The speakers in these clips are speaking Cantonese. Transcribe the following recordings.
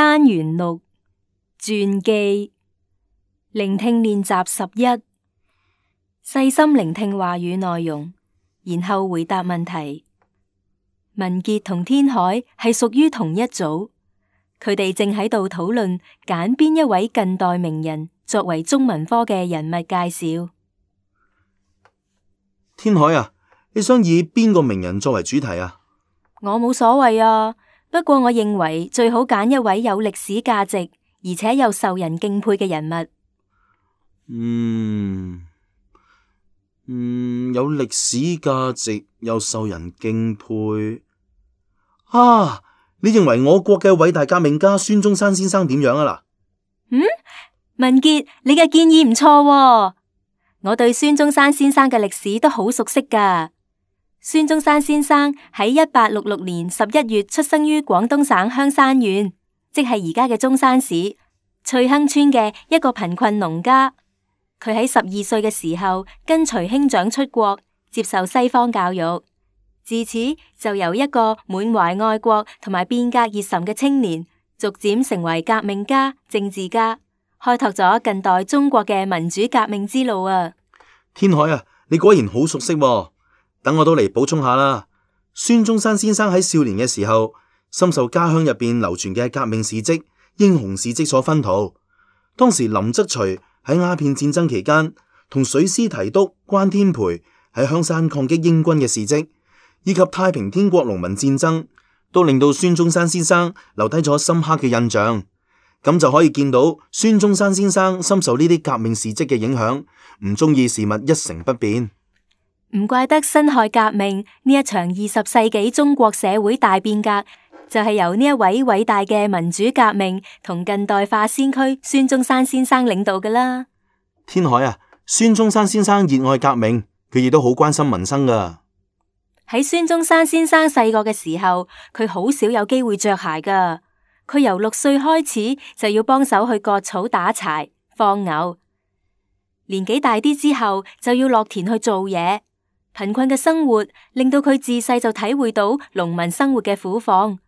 單元6傳記聆聽練習11，細心聆聽話語內容，然後回答問題。文傑同天海係屬於同一組，佢哋正喺度討論揀邊一位近代名人作為中文科嘅人物介紹。天海啊，你想以邊個名人作為主題啊？我冇所謂啊，不過我認為最好揀一位有歷史價值而且又受人敬佩嘅人物。有歷史價值又受人敬佩啊！你認為我國嘅偉大革命家孫中山先生點樣啊？文傑，你嘅建議唔錯喎，我對孫中山先生嘅歷史都好熟悉㗎。孫中山先生喺1866年11月出生於廣東省香山縣，即係而家嘅中山市翠亨村嘅一個貧困農家。佢喺12歲嘅時候跟隨兄長出國，接受西方教育，自此就由一個滿懷愛國同埋變革熱忱嘅青年，逐漸成為革命家、政治家，開拓咗近代中國嘅民主革命之路啊！天海啊，你果然好熟悉喎。等我都嚟補充下啦。孫中山先生喺少年嘅時候，深受家鄉入邊流傳嘅革命事跡、英雄事跡所熏陶。當時林則徐喺鴉片戰爭期間，同水師提督關天培喺香山抗擊英軍嘅事跡，以及太平天國農民戰爭，都令到孫中山先生留低咗深刻嘅印象。咁就可以見到孫中山先生深受呢啲革命事跡嘅影響，唔中意事物一成不變。唔怪得辛亥革命呢一場20世紀中國社會大變革，就係由呢一位偉大嘅民主革命同近代化先驅孫中山先生領導㗎啦。天海啊，孫中山先生熱愛革命，佢亦都好關心民生㗎。喺孫中山先生細個嘅時候，佢好少有機會着鞋㗎。佢由6歲開始就要幫手去割草、打柴、放牛，年紀大啲之後就要落田去做嘢。貧困嘅生活令到佢自細就體會到農民生活嘅苦況。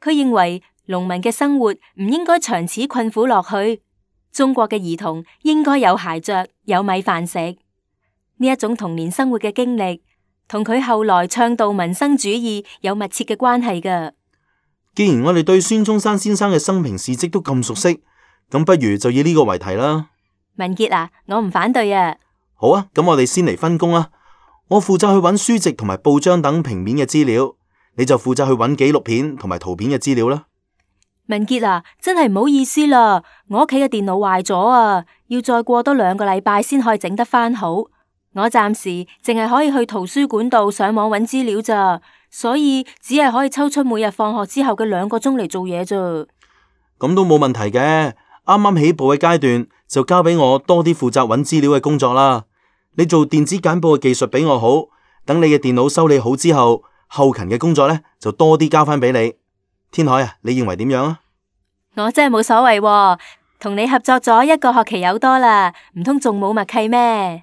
佢認為農民嘅生活唔應該長此困苦落去。中國嘅兒童應該有鞋着、有米飯食。呢一種童年生活嘅經歷，同佢後來倡導民生主義有密切嘅關係㗎。既然我哋對孫中山先生嘅生平事跡都咁熟悉，咁不如就以呢個為題啦。文傑啊，我唔反對啊。好啊，咁我哋先嚟分工啦。我負責去揾書籍同埋報章等平面嘅資料，你就負責去揾紀錄片同埋圖片嘅資料啦。文傑啊，真係唔好意思啦，我屋企嘅電腦壞咗啊，要再過多2個禮拜先可以整得返好。我暫時淨係可以去圖書館度上網揾資料咋，所以只係可以抽出每日放學之後嘅2個鐘嚟做嘢咋。咁都冇問題嘅，啱啱起步嘅階段就交俾我多啲負責揾資料嘅工作啦。你做電子簡報嘅技術比我好，等你嘅電腦修理好之後，後勤嘅工作呢就多啲交翻俾你。天海啊，你認為點樣啊？我真係冇所謂喎，同你合作咗1個學期有多啦，唔通仲冇默契咩？